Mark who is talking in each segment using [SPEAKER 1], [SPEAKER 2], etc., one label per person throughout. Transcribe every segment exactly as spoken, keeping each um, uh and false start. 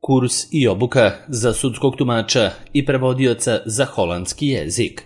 [SPEAKER 1] kurs i obuka za sudskog tumača i prevodioca za holandski jezik.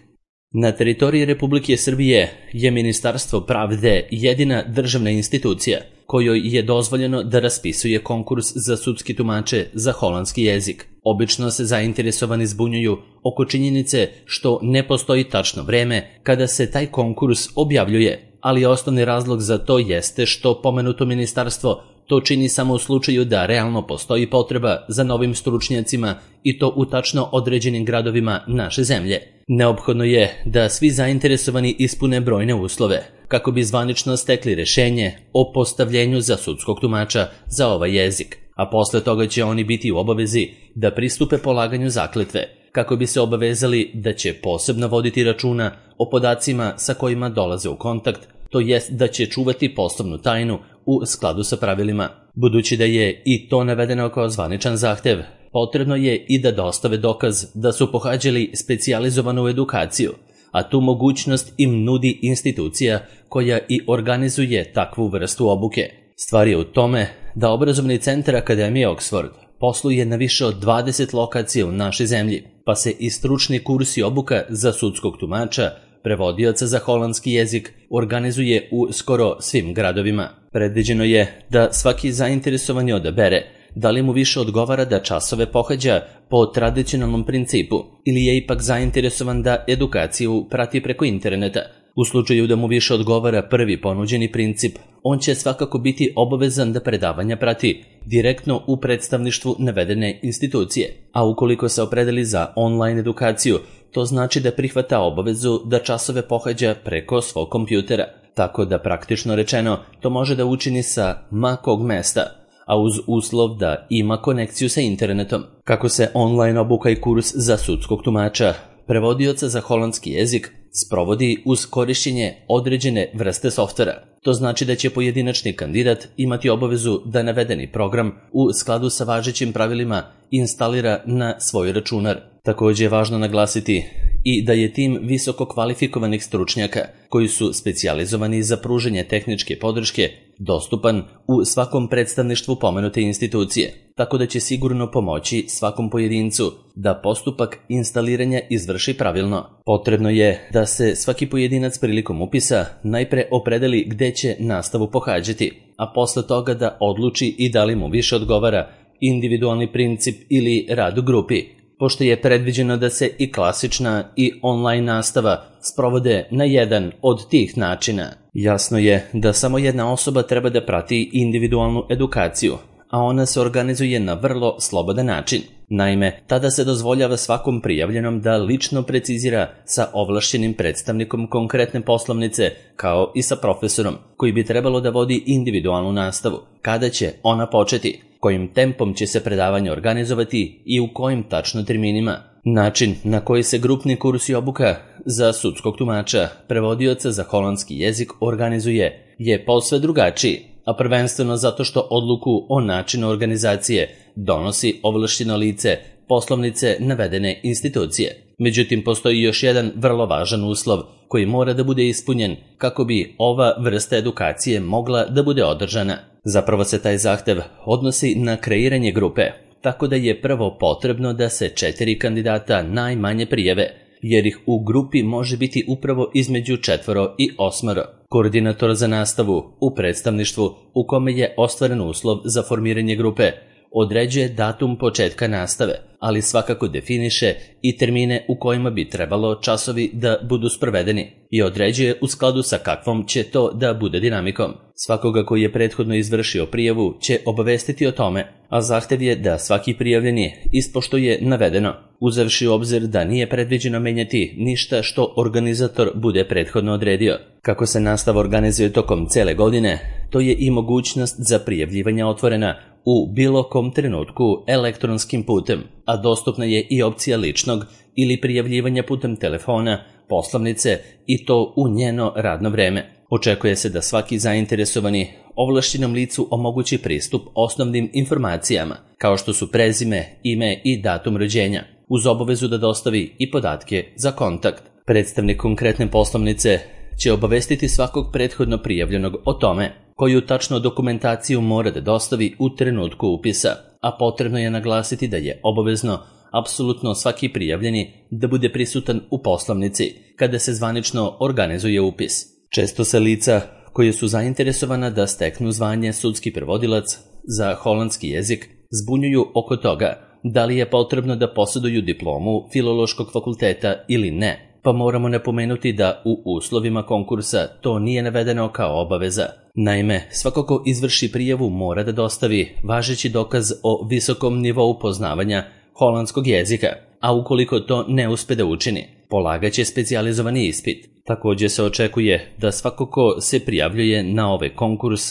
[SPEAKER 1] Na teritoriji Republike Srbije je Ministarstvo pravde jedina državna institucija kojoj je dozvoljeno da raspisuje konkurs za sudski tumače za holandski jezik. Obično se zainteresovani zbunjuju oko činjenice što ne postoji tačno vreme kada se taj konkurs objavljuje, ali osnovni razlog za to jeste što pomenuto ministarstvo to čini samo u slučaju da realno postoji potreba za novim stručnjacima i to u tačno određenim gradovima naše zemlje. Neophodno je da svi zainteresovani ispune brojne uslove kako bi zvanično stekli rešenje o postavljenju za sudskog tumača za ovaj jezik, a posle toga će oni biti u obavezi da pristupe polaganju zakletve kako bi se obavezali da će posebno voditi računa o podacima sa kojima dolaze u kontakt, to jest da će čuvati poslovnu tajnu u skladu sa pravilima. Budući da je i to navedeno kao zvaničan zahtev, potrebno je i da dostave dokaz da su pohađali specijalizovanu edukaciju, a tu mogućnost im nudi institucija koja i organizuje takvu vrstu obuke. Stvar je u tome da obrazovni centar Akademije Oxford posluje na više od dvadeset lokacija u našoj zemlji, pa se i stručni kurs i obuka za sudskog tumača, prevodioca za holandski jezik organizuje u skoro svim gradovima. Predviđeno je da svaki zainteresovani odabere da li mu više odgovara da časove pohađa po tradicionalnom principu ili je ipak zainteresovan da edukaciju prati preko interneta. U slučaju da mu više odgovara prvi ponuđeni princip, on će svakako biti obavezan da predavanja prati direktno u predstavništvu navedene institucije, a ukoliko se opredeli za online edukaciju, to znači da prihvata obavezu da časove pohađa preko svog kompjutera, tako da praktično rečeno to može da učini sa ma kog mesta, a uz uslov da ima konekciju sa internetom. Kako se online obuka i kurs za sudskog tumača, prevodioca za holandski jezik sprovodi uz korišćenje određene vrste softvera. To znači da će pojedinačni kandidat imati obavezu da navedeni program u skladu sa važećim pravilima instalira na svoj računar. Također je važno naglasiti i da je tim visoko kvalifikovanih stručnjaka koji su specijalizovani za pružanje tehničke podrške dostupan u svakom predstavništvu pomenute institucije, tako da će sigurno pomoći svakom pojedincu da postupak instaliranja izvrši pravilno. Potrebno je da se svaki pojedinac prilikom upisa najpre opredeli gde će nastavu pohađati, a posle toga da odluči i da li mu više odgovara individualni princip ili rad u grupi, pošto je predviđeno da se i klasična i online nastava sprovode na jedan od tih načina. Jasno je da samo jedna osoba treba da prati individualnu edukaciju, a ona se organizuje na vrlo slobodan način. Naime, tada se dozvoljava svakom prijavljenom da lično precizira sa ovlašćenim predstavnikom konkretne poslovnice, kao i sa profesorom, koji bi trebalo da vodi individualnu nastavu, kada će ona početi, kojim tempom će se predavanje organizovati i u kojim tačno terminima. Način na koji se grupni kurs i obuka za sudskog tumača, prevodioca za holandski jezik organizuje je posve drugačiji, a prvenstveno zato što odluku o načinu organizacije donosi ovlašćeno lice poslovnice navedene institucije. Međutim, postoji još jedan vrlo važan uslov koji mora da bude ispunjen kako bi ova vrsta edukacije mogla da bude održana. Zapravo se taj zahtev odnosi na kreiranje grupe, tako da je prvo potrebno da se četiri kandidata najmanje prijave, jer ih u grupi može biti upravo između četvoro i osmoro. Koordinator za nastavu u predstavništvu u kome je ostvaren uslov za formiranje grupe određuje datum početka nastave, ali svakako definiše i termine u kojima bi trebalo časovi da budu sprovedeni i određuje u skladu sa kakvom će to da bude dinamikom. Svakoga koji je prethodno izvršio prijavu će obavestiti o tome, a zahtev je da svaki prijavljeni ispoštuje navedeno, uzevši u obzir da nije predviđeno menjati ništa što organizator bude prethodno odredio. Kako se nastava organizuje tokom cele godine, to je i mogućnost za prijavljivanje otvorena u bilo kom trenutku elektronskim putem, a dostupna je i opcija ličnog ili prijavljivanja putem telefona, poslovnice i to u njeno radno vreme. Očekuje se da svaki zainteresovani ovlašćenom licu omogući pristup osnovnim informacijama, kao što su prezime, ime i datum rođenja, uz obavezu da dostavi i podatke za kontakt. Predstavnik konkretne poslovnice će obavestiti svakog prethodno prijavljenog o tome koju tačno dokumentaciju mora da dostavi u trenutku upisa, a potrebno je naglasiti da je obavezno apsolutno svaki prijavljeni da bude prisutan u poslovnici kada se zvanično organizuje upis. Često se lica koje su zainteresovana da steknu zvanje sudski prevodilac za holandski jezik zbunjuju oko toga da li je potrebno da posjeduju diplomu Filološkog fakulteta ili ne, pa moramo napomenuti da u uslovima konkursa to nije navedeno kao obaveza. Naime, svako ko izvrši prijavu mora da dostavi važeći dokaz o visokom nivou poznavanja holandskog jezika, a ukoliko to ne uspe da učini, polagaće specijalizovani ispit. Također se očekuje da svako ko se prijavljuje na ovaj konkurs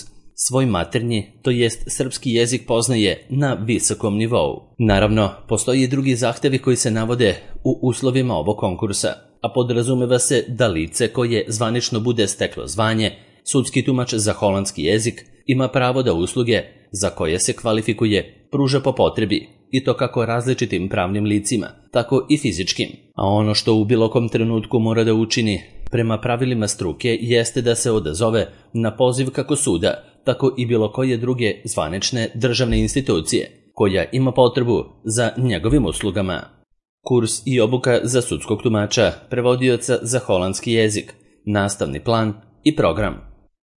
[SPEAKER 1] svoj maternji, to jest srpski jezik poznaje na visokom nivou. Naravno, postoji i drugi zahtevi koji se navode u uslovima ovog konkursa, a podrazumeva se da lice koje zvanično bude steklo zvanje sudski tumač za holandski jezik ima pravo da usluge za koje se kvalifikuje pruža po potrebi, i to kako različitim pravnim licima, tako i fizičkim. A ono što u bilo kom trenutku mora da učini prema pravilima struke jeste da se odazove na poziv kako suda, tako i bilo koje druge zvanične državne institucije koja ima potrebu za njegovim uslugama. Kurs i obuka za sudskog tumača, prevodioca za holandski jezik, nastavni plan i program.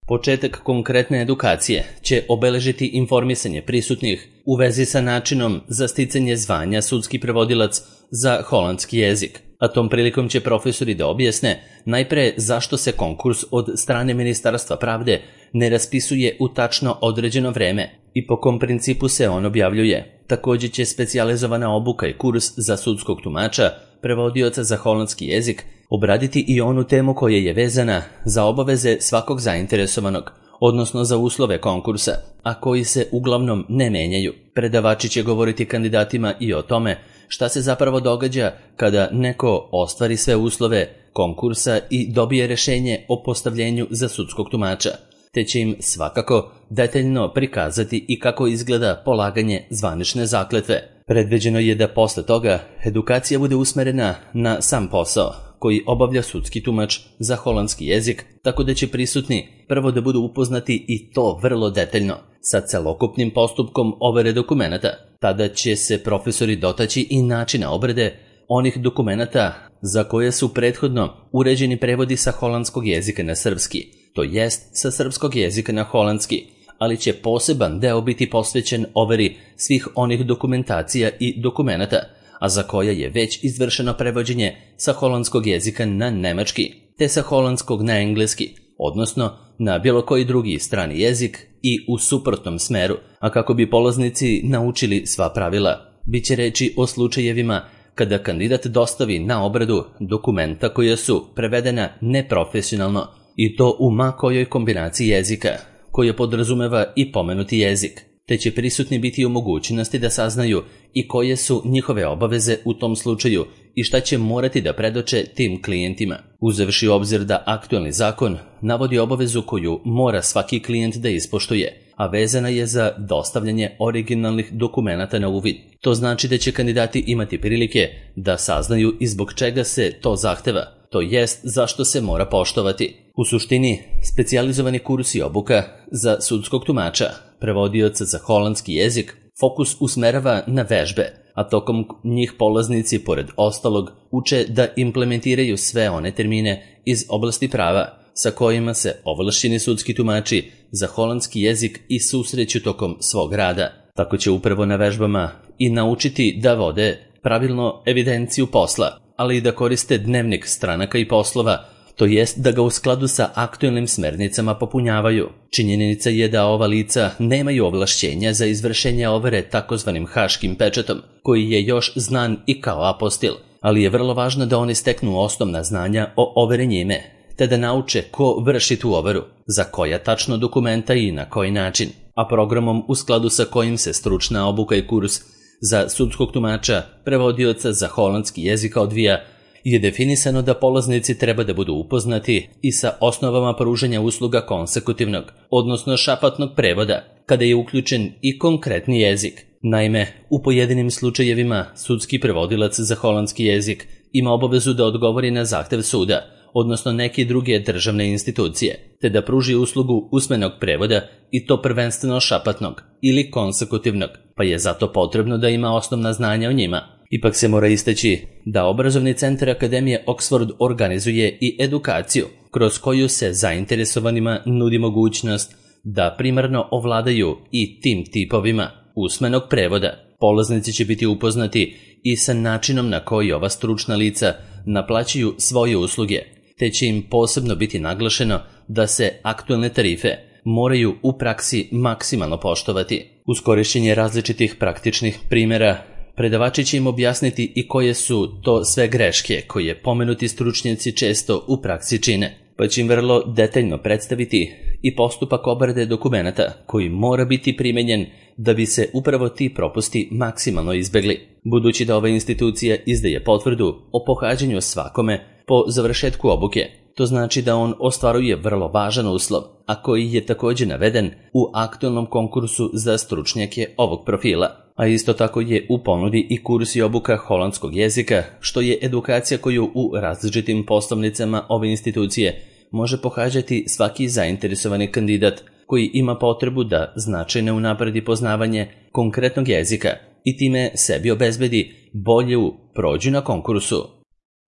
[SPEAKER 1] Početak konkretne edukacije će obeležiti informisanje prisutnih u vezi sa načinom za sticanje zvanja sudski prevodilac za holandski jezik, a tom prilikom će profesori da objasne najpre zašto se konkurs od strane Ministarstva pravde ne raspisuje u tačno određeno vreme i po kom principu se on objavljuje. Također će specijalizovana obuka i kurs za sudskog tumača, prevodioca za holandski jezik, obraditi i onu temu koja je vezana za obaveze svakog zainteresovanog, odnosno za uslove konkursa, a koji se uglavnom ne menjaju. Predavači će govoriti kandidatima i o tome šta se zapravo događa kada neko ostvari sve uslove konkursa i dobije rješenje o postavljenju za sudskog tumača, te će im svakako detaljno prikazati i kako izgleda polaganje zvanične zakletve. Predviđeno je da posle toga edukacija bude usmerena na sam posao koji obavlja sudski tumač za holandski jezik, tako da će prisutni prvo da budu upoznati i to vrlo detaljno sa celokupnim postupkom overe dokumenata. Tada će se profesori dotaći i načina obrade onih dokumenata za koje su prethodno uređeni prevodi sa holandskog jezika na srpski, to jest sa srpskog jezika na holandski, ali će poseban deo biti posvećen overi svih onih dokumentacija i dokumenata, a za koja je već izvršeno prevođenje sa holandskog jezika na nemački, te sa holandskog na engleski, odnosno na bilo koji drugi strani jezik i u suprotnom smeru, a kako bi polaznici naučili sva pravila. Biće reči o slučajevima kada kandidat dostavi na obradu dokumenta koja su prevedena neprofesionalno, i to u ma kojoj kombinaciji jezika, koja podrazumeva i pomenuti jezik, te će prisutni biti u mogućnosti da saznaju i koje su njihove obaveze u tom slučaju i šta će morati da predoče tim klijentima. Uzevši u obzir da aktualni zakon navodi obavezu koju mora svaki klijent da ispoštuje, a vezana je za dostavljanje originalnih dokumenata na uvid. To znači da će kandidati imati prilike da saznaju i zbog čega se to zahteva, to jest zašto se mora poštovati. U suštini, specijalizovani kurs i obuka za sudskog tumača, prevodioca za holandski jezik, fokus usmerava na vežbe, a tokom njih polaznici, pored ostalog, uče da implementiraju sve one termine iz oblasti prava sa kojima se ovlašćeni sudski tumači za holandski jezik i susreću tokom svog rada. Tako će upravo na vežbama i naučiti da vode pravilno evidenciju posla, ali i da koriste dnevnik stranaka i poslova, to jest da ga u skladu sa aktualnim smernicama popunjavaju. Činjenica je da ova lica nemaju ovlašćenja za izvršenje overe takozvanim haškim pečatom, koji je još znan i kao apostil, ali je vrlo važno da oni steknu osnovna znanja o overi njime, te da nauče ko vrši tu overu, za koja tačno dokumenta i na koji način, a programom u skladu sa kojim se stručna obuka i kurs za sudskog tumača, prevodioca za holandski jezik odvija, je definisano da polaznici treba da budu upoznati i sa osnovama pružanja usluga konsekutivnog, odnosno šapatnog prevoda, kada je uključen i konkretni jezik. Naime, u pojedinim slučajevima sudski prevodilac za holandski jezik ima obavezu da odgovori na zahtev suda, odnosno neke druge državne institucije, te da pruži uslugu usmenog prevoda i to prvenstveno šapatnog ili konsekutivnog, pa je zato potrebno da ima osnovna znanja o njima. Ipak se mora istaći da obrazovni centar Akademije Oxford organizuje i edukaciju, kroz koju se zainteresovanima nudi mogućnost da primarno ovladaju i tim tipovima usmenog prevoda. Polaznici će biti upoznati i sa načinom na koji ova stručna lica naplaćuju svoje usluge, te će im posebno biti naglašeno da se aktuelne tarife moraju u praksi maksimalno poštovati. Uz korišćenje različitih praktičnih primjera, predavači će im objasniti i koje su to sve greške koje pomenuti stručnjaci često u praksi čine, pa će im vrlo detaljno predstaviti i postupak obrade dokumenata koji mora biti primenjen da bi se upravo ti propusti maksimalno izbegli. Budući da ova institucija izdaje potvrdu o pohađanju svakome po završetku obuke, to znači da on ostvaruje vrlo važan uslov, a koji je također naveden u aktualnom konkursu za stručnjake ovog profila. A isto tako je u ponudi i kurs i obuka holandskog jezika, što je edukacija koju u različitim poslovnicama ove institucije može pohađati svaki zainteresovani kandidat koji ima potrebu da značajno unapredi poznavanje konkretnog jezika i time sebi obezbedi bolju prođu na konkursu.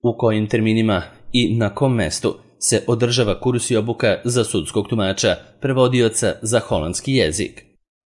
[SPEAKER 1] U kojim terminima i na kom mestu se održava kurs i obuka za sudskog tumača, prevodioca za holandski jezik.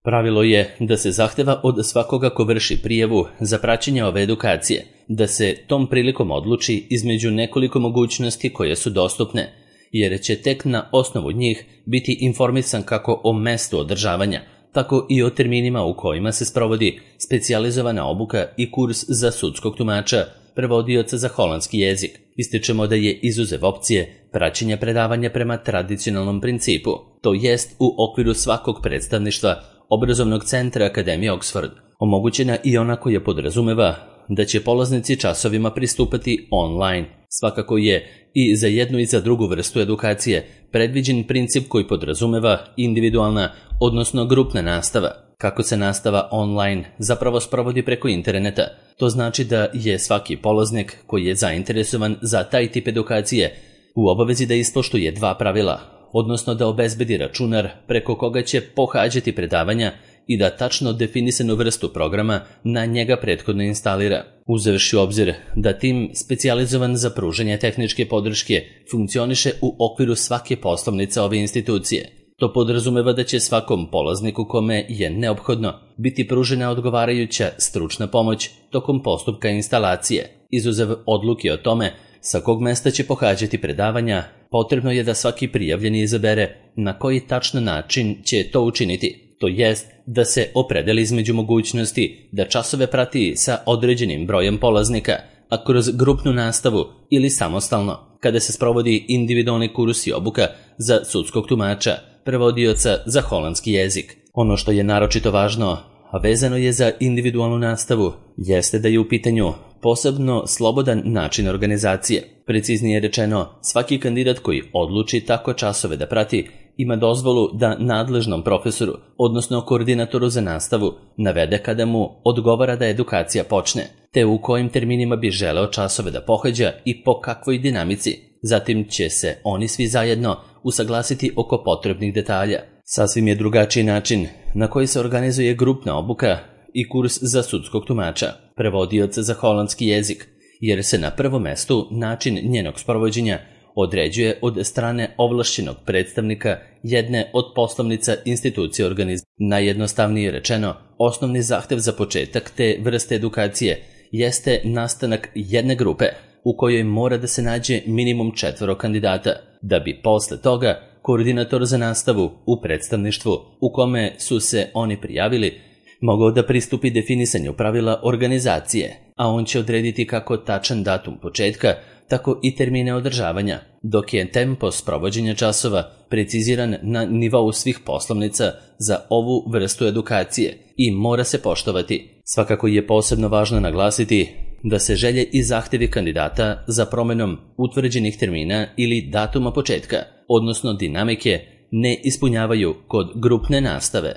[SPEAKER 1] Pravilo je da se zahteva od svakoga ko vrši prijavu za praćenje ove edukacije, da se tom prilikom odluči između nekoliko mogućnosti koje su dostupne, jer će tek na osnovu njih biti informisan kako o mestu održavanja, tako i o terminima u kojima se sprovodi specijalizovana obuka i kurs za sudskog tumača, prevodioca za holandski jezik. Ističemo da je izuzev opcije praćenja predavanja prema tradicionalnom principu, to jest u okviru svakog predstavništva obrazovnog centra Akademije Oxford, omogućena i ona koja podrazumeva da će polaznici časovima pristupati online. Svakako je i za jednu i za drugu vrstu edukacije predviđen princip koji podrazumeva individualna, odnosno grupna nastava. Kako se nastava online zapravo sprovodi preko interneta, to znači da je svaki polaznik koji je zainteresovan za taj tip edukacije u obavezi da ispoštuje dva pravila, odnosno da obezbedi računar preko koga će pohađati predavanja i da tačno definisanu vrstu programa na njega prethodno instalira, uzevši u obzir da tim specijalizovan za pružanje tehničke podrške funkcioniše u okviru svake poslovnice ove institucije. To podrazumeva da će svakom polazniku kome je neophodno biti pružena odgovarajuća stručna pomoć tokom postupka instalacije. Izuzev odluke o tome sa kog mesta će pohađati predavanja, potrebno je da svaki prijavljeni izabere na koji tačno način će to učiniti, to jest da se opredeli između mogućnosti da časove prati sa određenim brojem polaznika, a kroz grupnu nastavu ili samostalno, kada se sprovodi individualni kurs i obuka za sudskog tumača, prevodioca za holandski jezik. Ono što je naročito važno, a vezano je za individualnu nastavu, jeste da je u pitanju posebno slobodan način organizacije. Preciznije rečeno, svaki kandidat koji odluči tako časove da prati ima dozvolu da nadležnom profesoru, odnosno koordinatoru za nastavu, navede kada mu odgovara da edukacija počne, te u kojim terminima bi želeo časove da pohađa i po kakvoj dinamici. Zatim će se oni svi zajedno usaglasiti oko potrebnih detalja. Sasvim je drugačiji način na koji se organizuje grupna obuka i kurs za sudskog tumača, prevodioca za holandski jezik, jer se na prvom mestu način njenog sprovođenja određuje od strane ovlašćenog predstavnika jedne od poslovnica institucije organizacije. Najjednostavnije rečeno, osnovni zahtev za početak te vrste edukacije jeste nastanak jedne grupe u kojoj mora da se nađe minimum četvoro kandidata, da bi posle toga koordinator za nastavu u predstavništvu u kome su se oni prijavili mogao da pristupi definisanju pravila organizacije, a on će odrediti kako tačan datum početka, tako i termine održavanja, dok je tempo sprovođenja časova preciziran na nivou svih poslovnica za ovu vrstu edukacije i mora se poštovati. Svakako je posebno važno naglasiti da se želje i zahtevi kandidata za promenom utvrđenih termina ili datuma početka, odnosno dinamike, ne ispunjavaju kod grupne nastave.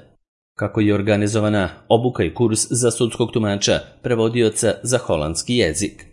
[SPEAKER 1] Kako je organizovana obuka i kurs za sudskog tumača, prevodioca za holandski jezik?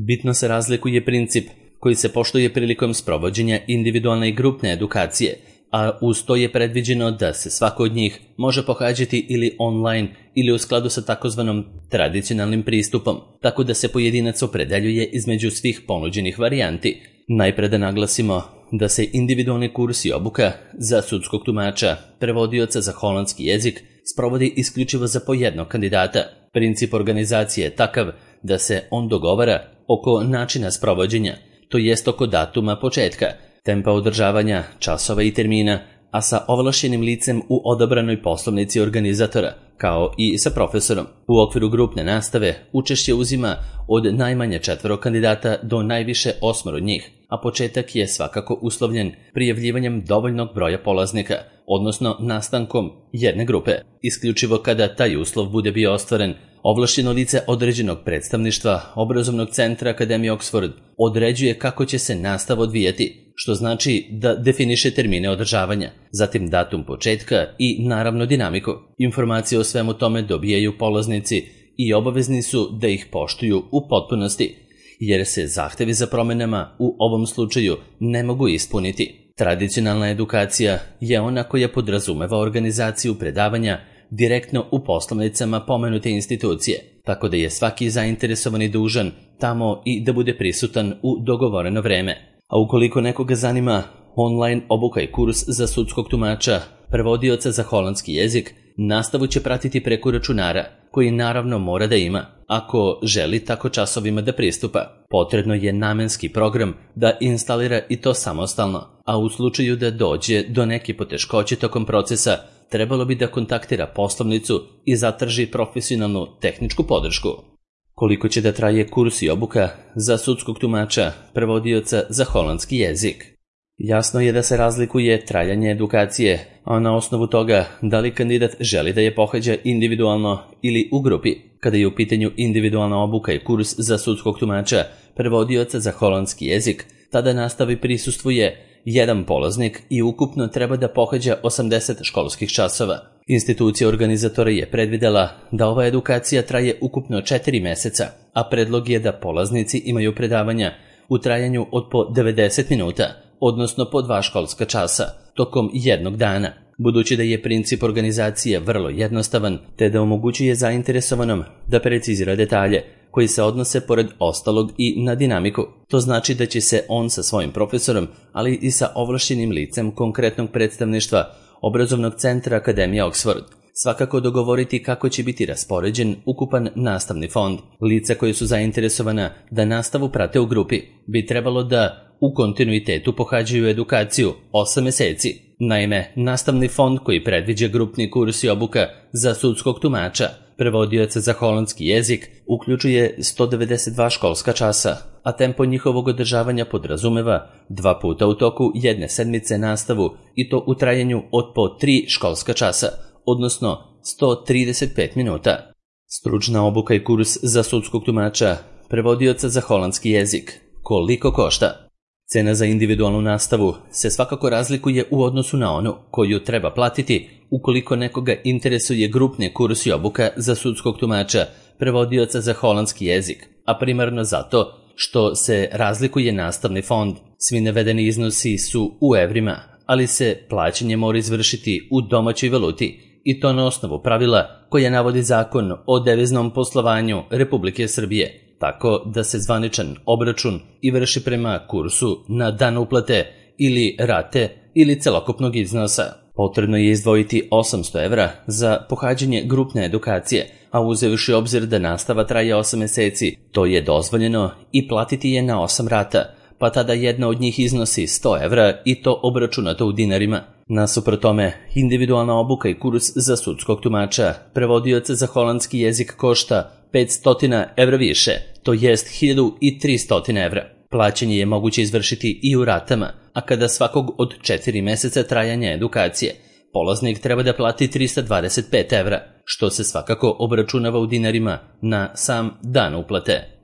[SPEAKER 1] Bitno se razlikuje princip koji se poštuje prilikom sprovođenja individualne i grupne edukacije, a uz to je predviđeno da se svako od njih može pohađati ili online ili u skladu sa takozvanom tradicionalnim pristupom, tako da se pojedinac opredeljuje između svih ponuđenih varijanti. Najpre da naglasimo da se individualni kurs i obuka za sudskog tumača, prevodioca za holandski jezik, sprovodi isključivo za po jednog kandidata. Princip organizacije je takav da se on dogovara oko načina sprovođenja, to jest oko datuma početka, tempa održavanja, časova i termina, a sa ovlašćenim licem u odabranoj poslovnici organizatora, kao i sa profesorom. U okviru grupne nastave učešće uzima od najmanje četvoro kandidata do najviše osmoro njih, a početak je svakako uslovljen prijavljivanjem dovoljnog broja polaznika, odnosno nastankom jedne grupe. Isključivo kada taj uslov bude bio ostvaren, ovlašćeno lice određenog predstavništva obrazovnog centra Akademije Oxford određuje kako će se nastava odvijati, što znači da definiše termine održavanja, zatim datum početka i naravno dinamiku. Informacije o svemu tome dobijaju polaznici i obavezni su da ih poštuju u potpunosti, jer se zahtevi za promenama u ovom slučaju ne mogu ispuniti. Tradicionalna edukacija je ona koja podrazumeva organizaciju predavanja direktno u poslovnicama pomenute institucije, tako da je svaki zainteresovani dužan tamo i da bude prisutan u dogovoreno vreme. A ukoliko nekoga zanima online obuka i kurs za sudskog tumača, prevodioca za holandski jezik, nastavu će pratiti preko računara, koji naravno mora da ima, ako želi tako časovima da pristupa. Potrebno je namenski program da instalira i to samostalno, a u slučaju da dođe do neke poteškoće tokom procesa, trebalo bi da kontaktira poslovnicu i zatraži profesionalnu tehničku podršku. Koliko će da traje kurs i obuka za sudskog tumača, prevodioca za holandski jezik? Jasno je da se razlikuje trajanje edukacije, a na osnovu toga da li kandidat želi da je pohađa individualno ili u grupi. Kada je u pitanju individualna obuka i kurs za sudskog tumača, prevodioca za holandski jezik, tada nastavi prisustvuje jedan polaznik i ukupno treba da pohađa osamdeset školskih časova. Institucija organizatora je predvidela da ova edukacija traje ukupno četiri meseca, a predlog je da polaznici imaju predavanja u trajanju od po devedeset minuta, odnosno po dva školska časa, tokom jednog dana. Budući da je princip organizacije vrlo jednostavan, te da omogućuje zainteresovanom da precizira detalje koji se odnose pored ostalog i na dinamiku. To znači da će se on sa svojim profesorom, ali i sa ovlašćenim licem konkretnog predstavništva obrazovnog centra Akademije Oxford svakako dogovoriti kako će biti raspoređen ukupan nastavni fond. Lica koje su zainteresovana da nastavu prate u grupi bi trebalo da u kontinuitetu pohađaju edukaciju osam meseci. Naime, nastavni fond koji predviđa grupni kurs i obuka za sudskog tumača, prevodioca za holandski jezik, uključuje sto devedeset dva školska časa, a tempo njihovog održavanja podrazumeva dva puta u toku jedne sedmice nastavu i to u trajanju od po tri školska časa, odnosno sto trideset pet minuta. Stručna obuka i kurs za sudskog tumača, prevodioca za holandski jezik. Koliko košta? Cena za individualnu nastavu se svakako razlikuje u odnosu na onu koju treba platiti ukoliko nekoga interesuje grupni kurs i obuka za sudskog tumača, prevodioca za holandski jezik, a primarno zato što se razlikuje nastavni fond. Svi navedeni iznosi su u evrima, ali se plaćanje mora izvršiti u domaćoj valuti, i to na osnovu pravila koja navodi Zakon o deviznom poslovanju Republike Srbije, tako da se zvaničan obračun i vrši prema kursu na dan uplate ili rate ili celokupnog iznosa. Potrebno je izdvojiti osamsto evra za pohađanje grupne edukacije, a uzevši obzir da nastava traje osam meseci, to je dozvoljeno i platiti je na osam rata, pa tada jedna od njih iznosi sto evra i to obračunato u dinarima. Nasuprot tome, individualna obuka i kurs za sudskog tumača, prevodioca za holandski jezik košta petsto evra više, to jest hiljadu tristo evra. Plaćanje je moguće izvršiti i u ratama, a kada svakog od četiri meseca trajanja edukacije, polaznik treba da plati trista dvadeset pet evra, što se svakako obračunava u dinarima na sam dan uplate.